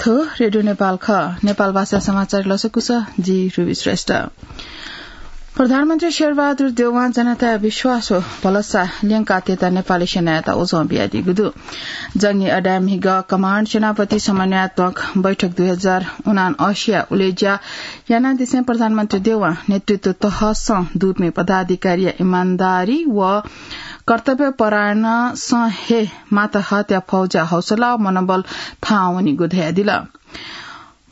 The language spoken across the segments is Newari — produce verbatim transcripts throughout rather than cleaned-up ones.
थ्व रेडियो नेपाल खः। नेपाल भाषा समाचार लसकुस, जि रुबी श्रेष्ठ। प्रधानमन्त्री शेरबहादुर देउवां जनताया विश्वास व भलसा ल्यंकातयेत नेपाली सेनायात उजं बियादीगु दु। जंगी अड्डाय् म्हिगः कमाण्ड सेनापति समन्वयात्मक बैठक दुई हजार उनान्असी या उलेज्या यानादिसें प्रधानमन्त्री देउवां नेतृत्व तहसं दुपिं पदाधिकारीया इमानदारी व कर्तव्य परायणसं हे माता हत्या फौजया हौसला व मनोबल थाहां वनीगु धयादिल।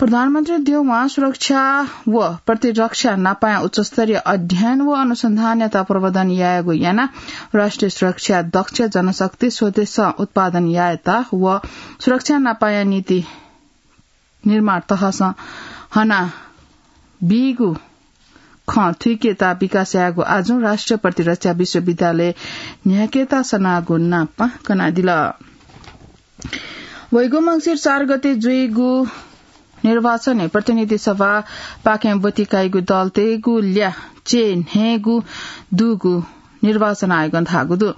प्रधानमन्त्री देउवां सुरक्षा व प्रतिरक्षा नापाया उच्चस्तरीय अध्ययन व अनुसन्धानयात प्रवर्धन यायेगु यानाः राष्ट्रिय सुरक्षा दक्ष जनशक्ति स्वदेशं उत्पादन यायेत व सुरक्षा नापाया नीति निर्माण तहसं हना बीगु खँ थुइकेत विकास यायेगु आजुं राष्ट्रिय प्रतिरक्षा विश्वविद्यालय न्ह्याकेत सनागु नापं कनादिल। वइगु मंसिर चार गते जुइगु निर्वाचनय् प्रतिनिधि सभापाखें ब्वति काइगु दलतय्गु ल्याः च्यय् न्हय्गू दुगु निर्वाचन आयोगं धाःगु दु।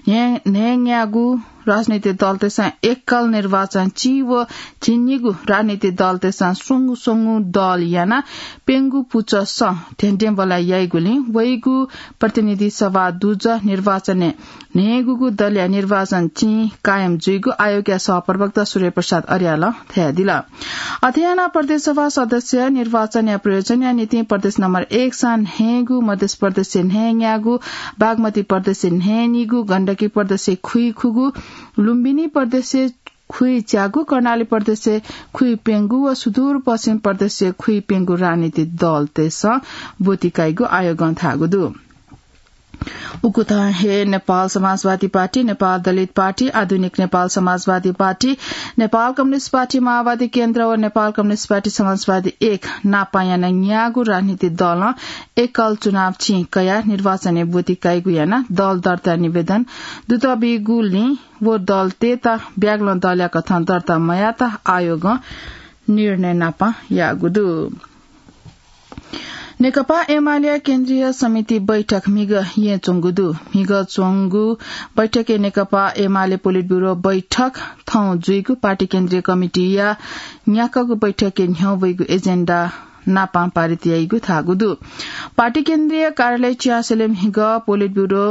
न्हय्, न्हय्न्यागू राजनीतिक दलतय्सं एकल निर्वाचन चिं व झिंनिगू राजनीतिक दलतय्सं स्वंगू स्वंगू दल यानाः प्यंगू पुचःसं धेंधेंबल्लाः याइगुलिं वइगु प्रतिनिधि सभा दुजः निर्वाचनय् न्हय्गूगू दलया निर्वाचन चिं कायम जुइगु आयोगया सहप्रवक्ता सूर्यप्रसाद अर्यालं धयादिल। अथे यानाः प्रदेश सभा सदस्य निर्वाचनया प्रयोजनया निंतिं प्रदेश नम्बर एक स न्हय्गू, मध्य प्रदेश न्हय्न्यागू, बागमती प्रदेश न्हय्निगू, गण्डकी प्रदेश खुइखुगू, लुम्बिनी प्रदेश खुइच्यागू, कर्णाली प्रदेश खुइप्यंगू व सुदूरपश्चिम प्रदेश खुइप्यंगू राजनीतिक दलतय्सं ब्वति काइगु आयोगं धाःगु दु। उकथं हे नेपाल समाजवादी पार्टी, नेपाल दलित पार्टी, आधुनिक नेपाल समाजवादी पार्टी, नेपाल कम्युनिस्ट पार्टी, माओवादी केन्द्र व नेपाल कम्युनिस्ट पार्टी समाजवादी एक नापं यानाः न्यागू राजनीतिक दलं एकल चुनाव चिं कयाः निर्वाचनय् ब्वति काइगु यानाः दल दर्ता निवेदन दुत बीगुलिं व दलतय्त ब्यागलं दलया कथं दर्ता मयात आयोगं निर्णय नापं याःगु दु। नेकपा एमालेया केन्द्रीय समिति बैठक म्हिगः येँच्वंगु दु। म्हिगः च्वंगु बैठकय् नेकपा एमाले पोलिट ब्यूरो बैठक थौं जुइगु पार्टी केन्द्रीय कमिटीया न्याकागु बैठकय् न्ह्यः वइगु एजेन्डा नापं पारित याइगु धाःगु दु। पार्टी केन्द्रीय कार्यालय चिहास्यलय् म्हिगः पोलिट ब्यूरो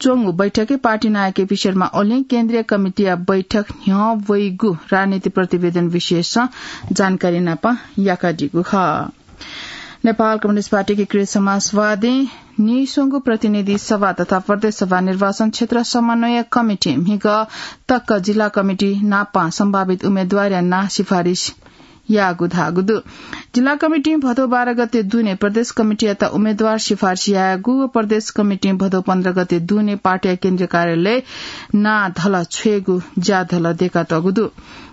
च्वंगु बैठकय् पार्टी नायः केपी शर्मा ओलीं केन्द्रीय कमिटीया बैठक न्ह्यः वइगु राजनीतिक प्रतिवेदन विषयसं जानकारी नापं याकादीगु खः। नेपाल कम्युनिस्ट पार्टी एकीकृत समाजवादीं नीस्वंगू प्रतिनिधि सभा तथा प्रदेश सभा निर्वाचन क्षेत्र समन्वय कमिटीं म्हिगः तक जिल्ला कमिटी नापं सम्भावित उम्मेद्वारया नां सिफारिस याःगु धाःगु दु। जिल्ला कमिटीं भदौ बाह्र गते दुने प्रदेश कमिटीयात उम्मेद्वार सिफारिस याःगु व प्रदेश कमिटीं भदौ पन्ध्र गते दुने पार्टीया केन्द्रीय कार्यालय नां धल छ्वयेगु ज्याधल दयेकातःगु दु।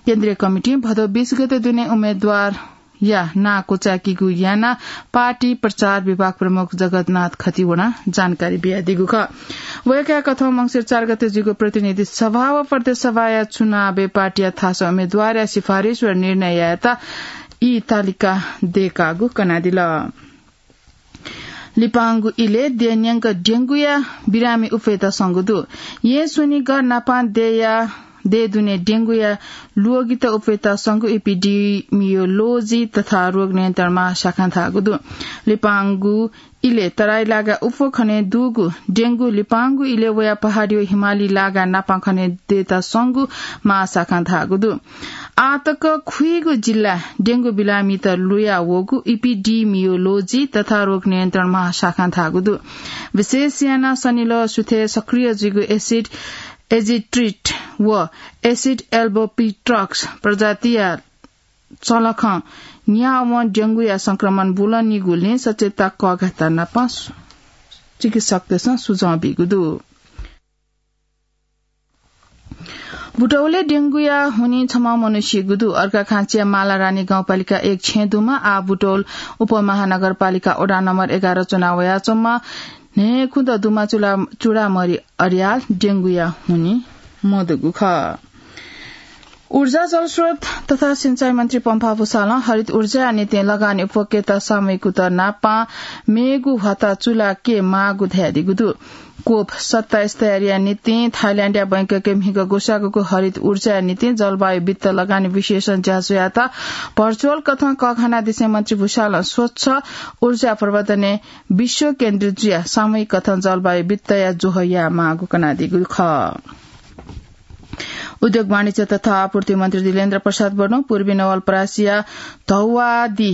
केन्द्रीय कमिटीं भदौ बीस गते दुने उम्मेद्वारया नां क्वचाय्कीगु यानाः पार्टी प्रचार विभाग प्रमुख जगतनाथ खतिवडां जानकारी बियादीगु खः। वय्कःया कथं मंसिर चार गते जुइगु प्रतिनिधि सभा व प्रदेश सभाया चुनावय् पार्टीया थासय् उम्मेद्वारया सिफारिस व निर्णय यायेत ई तालिका दयेकागु कनादिल। लिपांगु इलय् देय् न्यंक डेंगूया बिरामी उप्वयेत संगु दु। येँ स्वनिगः नापं देय्या, देय् दुने डेंगूया ल्वगित उप्वयेत संगु इपिडिमियोलोजी तथा रोग नियन्त्रण महाशाखां धाःगु दु। लिपांगु इलय् तराई लागाय् उप्वः खने दुगु डेंगू लिपांगु इलय् वयाः पहाडी व हिमाली लागाय् नापं खने दयेत संगु महाशाखां धाःगु दु। आः तक खुइगु जिल्लाय् डेंगू बिरामीत लुया वःगु इपिडिमियोलोजी तथा रोग नियन्त्रण महाशाखां धाःगु दु। विशेष यानाः सनिलः सुथय् सक्रिय जुइगु एसिड एजिट्रिट व एसिड एल्बोपिट्रक्स प्रजातिया चंलखं न्यावं डेंगूया संक्रमण बुलंनिगुलिं सचेतता कःघात नापं चिकित्सकतय्सं सुझाव बीगु दु। बुटौलय् डेंगूया हुनिं छम्ह मनू सीगु दु। अर्घाखाँचिया मालारानी गाउँपालिका एक छेँ दुम्ह आः बुटौल उपमहानगरपालिका वडा नम्बर एघार च्वना वयाच्वंम्ह न्हय्खुदँ दुम्ह चुडा-, चुडामणि अर्याल डेंगूया हुनिं मदुगु खः। ऊर्जा, जलस्रोत तथा सिंचाई मन्त्री पम्फा भूषालं हरित ऊर्जाया निंतिं लगानी उपभोक्ता सामूहिक कुतः नापं मेगु ह्वाता चुला के माःगु धयादीगु दु। कोप सत्ताइस तयारीया निंतिं थाइल्याण्डया बैंककय् म्हिगः ग्वसाःगु हरित ऊर्जाया निंतिं जलवायु वित्त लगानी विश्लेषण ज्याझ्वःयात भर्चुअल कथं कःघानादिसें मन्त्री भूषालं स्वच्छ ऊर्जा प्रवर्धनय् विश्व केन्द्रित जुयाः सामूहिक कथं जलवायु वित्तया ज्वः यायेमाःगु कनादीगु खः। उद्योग, वाणिज्य तथा आपूर्ति मन्त्री दिलेन्द्र प्रसाद बडुं पूर्वी नवलपरासीया धौवादी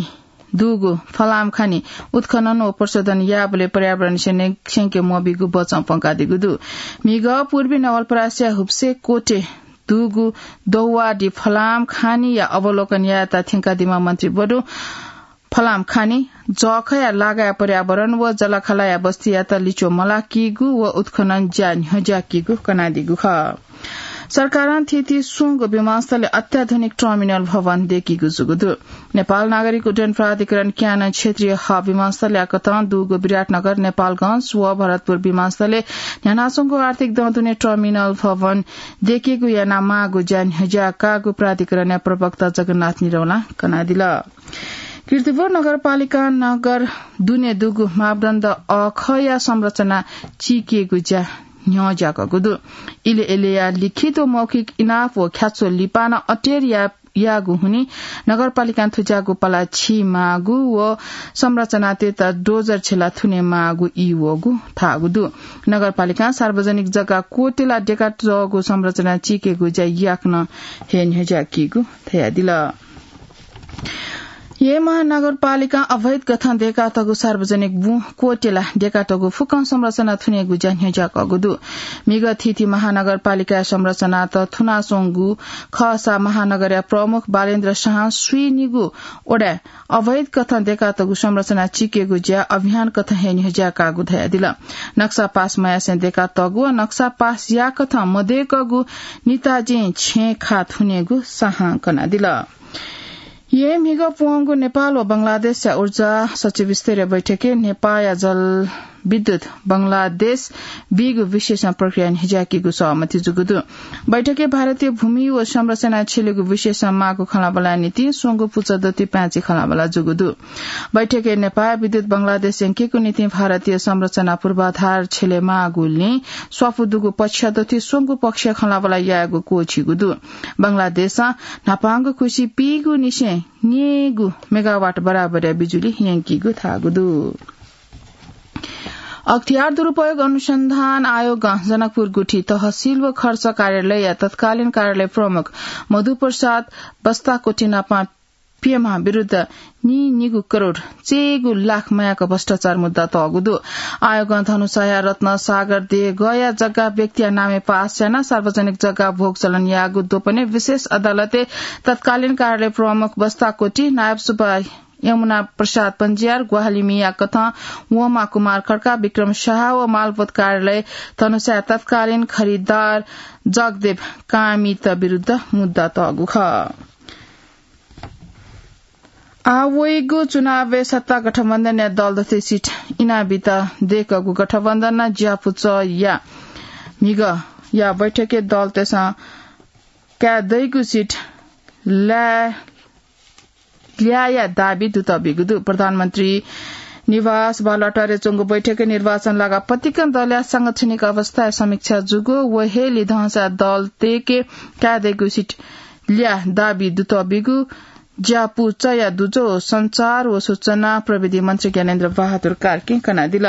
दुगु फलाम खानी उत्खनन व प्रशोधन याःबलय् पर्यावरण स्यने-, स्यंके मबीगु बचं प्वंकादीगु दु। म्हिगः पूर्वी नवलपरासीया हुब्से कोटे दुगु दौवाडी फलाम खानीया अवलोकन यायेत थ्यंकादीम्ह मन्त्री बडुं फलाम खानी जःखया लागाया पर्यावरण व जलाखालाया बस्तीयात लिच्वः मलाकीगु व उत्खनन ज्या न्ह्यज्याकीगु कनादीगु खः। सरकारं थीथी स्वंगू विमानस्थलय् अत्याधुनिक टर्मिनल भवन दय्कीगु जूगु दु। नेपाल नागरिक उड्डयन प्राधिकरण क्यानं क्षेत्रीय हब विमानस्थलया कथं दुगु विराटनगर, नेपालगंज व भरतपुर विमानस्थलय् न्ह्यानाच्वंगु आर्थिक दँ दुने टर्मिनल भवन दय्कीगु यानामाःगु ज्या न्ह्यज्याकाःगु प्राधिकरणया प्रवक्ता जगन्नाथ निरौलां कनादिल। कीर्तिपुर नगरपालिकां नगर दुने दुगु मापदण्ड अःखया संरचना चीकेगु ज्या न्ह्यज्याकःगु दु। इले इलेया लिखित व मौखिक इनाप व ख्याच्वः लिपा नं अटेर या-, याःगु हुनिं नगरपालिकां थुज्याःगु पला छि माःगु व संरचनातय्त डोजर छेला थुने माःगु ई वःगु धाःगु दु। नगरपालिकां सार्वजनिक जग्गा क्वतेला देका तःगु संरचना चीकेगु ज्या याकनं हे न्ह्यज्याकीगु धयादिल। येँ महानगरपालिकां अवैध कथं देकातःगु सार्वजनिक बुँ क्वतेला देकातःगु फुक्कं संरचना थुनेगु ज्या न्ह्यज्याकःगु दु। म्हिगः थीथी महानगरपालिकाया संरचनात थुनाच्वंगु खःसा महानगरया प्रमुख बालेन्द्र शाहं स्वीनिगू वडाय् अवैध कथं देकातःगु संरचना चीकेगु ज्या अभियान कथं हे न्ह्यज्याकाःगु धयादिल। नक्सा पास मयासें देकातःगु व नक्सा पास याकथं मदय्कःगु निताजिं छेँ खा थुनेगु शाहं कनादिल। येँ म्हिगः प्वंगु नेपाल व बंगलादेशया ऊर्जा सचिव स्तरीय बैठकय् नेपाःया जलविद्युत बंगलादेश बीगु विश्लेषण प्रक्रिया न्ह्यज्याकीगु सहमति जूगु दु। बैठकय् भारतीय भूमि व संरचना छ्यलेगु विश्लेषण माःगु खँल्हाबल्हाया निंतिं स्वंगू पुचः दथुइ पाय्छि खँल्हाबल्हा जूगु दु। बैठकय् नेपाःया विद्युत बंगलादेश यंकेगु निंतिं भारतीय संरचना पूर्वाधार छ्यले माःगुलिं स्वापू दुगु पक्ष दथुइ स्वंगू पक्ष खँल्हाबल्हा यायेगु क्वःछिइगु दु। बंगलादेशं न्हापांगु खुसि पीगु निसें न्यय्गु मेगावाट बराबरया बिजुली यंकीगु धाःगु दु। अख्तियार दुरुपयोग अनुसन्धान आयोगं जनकपुर गुठी तहसील व खर्च कार्यालयया तत्कालीन कार्यालय प्रमुख मधुप्रसाद बस्ताकोटी नाप प्यम्ह विरुद्ध नीनिगू करोड चय्गू लाख मयाक भ्रष्टाचार मुद्दा तःगु दु। आयोगं धनुषाया रत्न सागर देगःया जग्गा व्यक्तिया नामय् पास यानाः सार्वजनिक जग्गा भोग चलन याःगु द्वपनय् विशेष अदालतय् तत्कालीन कार्यालय प्रमुख बस्ताकोटी, नायब सुब्बा यमुना प्रसाद पञ्जियार, ग्वाहालि मिया कथं वंमा कुमार खड्का, विक्रम शाह व मालपोत कार्यालय धनुषाया तत्कालीन खरिदार जगदेव कामित विरुद्ध मुद्दा तःगु खः। आः वइगु चुनावय् सत्ता गठबन्धनया दल दथुइ सिट इनाबीत दय्कःगु गठबन्धनं ज्यापुचःया म्हिगःया बैठकय् दलतय्सं काये दइगु सिट ल्याः ल्याःया दाबी दुतःबिगु दु। प्रधानमन्त्री निवास बालुवाटारय् च्वंगु बैठकय् निर्वाचन लागाः पतिकं दलया सांगठनिक अवस्थाया समीक्षा जूगु। व हे लिधंसा दलतय्के काये दइगु सिट ल्याः दाबी दुतःबिगु ज्यापुचःया दुजः सञ्चार व सूचना प्रविधि मन्त्री ज्ञानेन्द्र बहादुर कार्कीं कनादिल।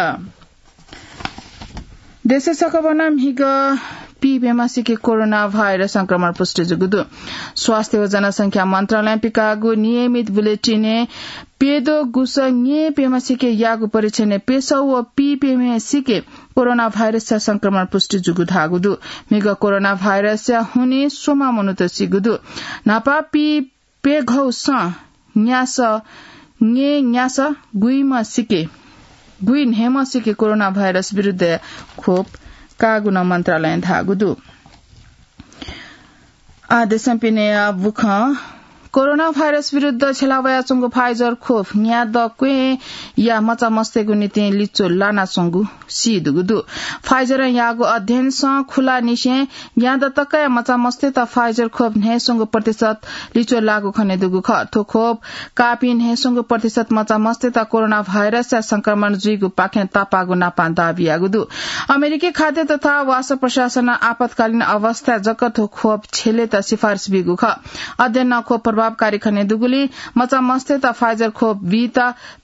देशय् सकभनं म्हिगः पीप्यम्हसिके कोरोना भाइरस संक्रमण पुष्टि जूगु दु। स्वास्थ्य व जनसंख्या मन्त्रालयं पिकाःगु नियमित बुलेटिनय् प्यद्वः गुसः न्यय्प्यम्हसिके याःगु परीक्षणय् प्यसः व पीप्यम्हसिके कोरोना भाइरसया संक्रमण पुष्टि जूगु धाःगु दु। म्हिगः कोरोना भाइरसया हुनिं स्वम्ह मनूत सीगु दु। न्हापा पी प्यघौसं न्यासः, न्यय्न्यासः गुइम्हसिके, गुइन्हय्म्हसिके कोरोना भाइरस विरुद्धया खोप काःगु नं मन्त्रालयं धाःगु दु। आः देशं पिनेया बुखँ कोरोना भाइरस विरुद्ध छ्यला वयाच्वंगु Pfizer खोप न्यादँ क्वय्‌या मचामस्तय्‌गु निंतिं लिच्वः लानाच्वंगु सी दुगु दु। Pfizer-ं याःगु अध्ययनसं खुलाःनिसें न्यादँ तकया मचामस्तय्‌त Pfizer खोप न्हय्‌स्वंगू प्रतिशत लिच्वः लाःगु खनेदुगु खः। थ्व खोप काःपिं न्हय्‌स्वंगू प्रतिशत मचामस्तय्‌त कोरोना भाइरसया संक्रमण जुइगु पाखें तापाःगु नापां दाबी याःगु दु। अमेरिकी खाद्य तथा वासः प्रशासनं आपतकालीन अवस्थाय् जक थ्व खोप छ्यलेत सिफारिस बीगु खः। अध्ययनं खोप प्रभावकारी खनेदुगुलिं मचामस्तय्‌त Pfizer खोप बीत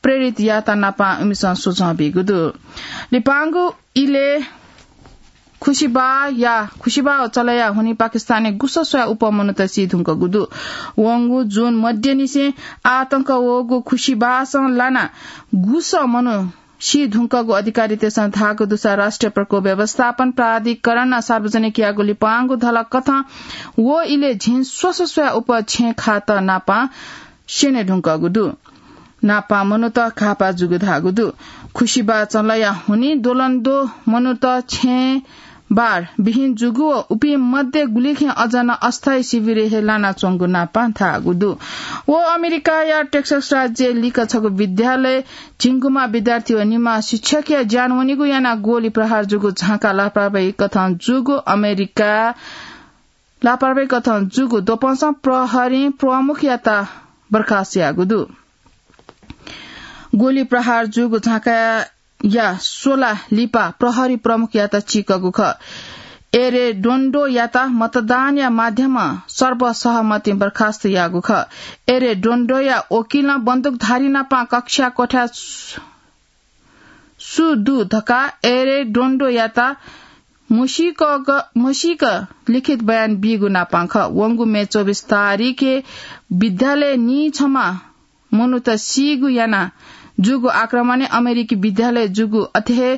प्रेरित याःत नापां इमिसं सुझाव बीगु दु। लिपांगु इलय् खुसिबाःया, खुसिबाः चलया हुनिं पाकिस्तानय् गुसः स्वयाः उप्वः मनूत सी धुंकूगु दु। वंगु जुन मध्यनिसें आतंक वःगु खुसिबासं लानाः गुसः मनू सी धुंकूगु अधिकारीतय्‌सं धाःगु दुसा राष्ट्रिय प्रकोप व्यवस्थापन प्राधिकरणं सार्वजनिक याःगु लिपांगु धलख कथं व इलय् झिंस्वसः स्वयाः उप्वः छेँ खात नापां स्यने धुंकूगु दु। नापां मनूत घाःपाः जूगु धाःगु दु। खुसिबाः चलया हुनिं द्वलंद्वः मनूत छेँ बार बिहिन जूगु व उपिं मध्ये गुलिखय् अझ नं अस्थायी शिविरय् हे लानाच्वंगु नापां धाःगु दु। व अमेरिकाया टेक्सास राज्यय् लिक्क छगू विद्यालयय् झिंगुम्ह विद्यार्थी व निम्ह शिक्षकया ज्यान वनीगु यानाः गोली प्रहार जूगु झांकाः लापरवाही कथं जूगु अमेरिका, लापरवाही कथं जूगु द्वपंसं प्रहरीं प्रमुखयात बर्खास्त याःगु दु। गोली प्रहार जूगु झांकाया स्वला लिपा प्रहरी प्रमुखयात चीकःगु खः। एरेडोन्डोयात मतदानया माध्यमं सर्वसहमतिं बर्खास्त याःगु खः। एरेडोन्डोया वकिलं बन्दुकधारी नापां कक्षा कोठाय् सु दु धकाः एरेडोन्डोयात मसीक, मसीक लिखित बयान बीगु नापां खः। वंगु मे चौबिस तारिखय् विद्यालयय् निछम्ह मनूत सीगु यानाः जूगु आक्रमणय् अमेरिकी विद्यालयय् जूगु अथे हे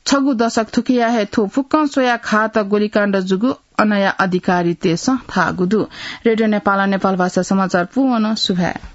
छगू दशक थुकिया हे थ्व फुक्कं स्वयाः घात गोलीकाण्ड जूगु अनया अधिकारीतय्‌सं धाःगु दु। रेडियो नेपालं नेपालभाषा समाचार पूवन सुभाय्।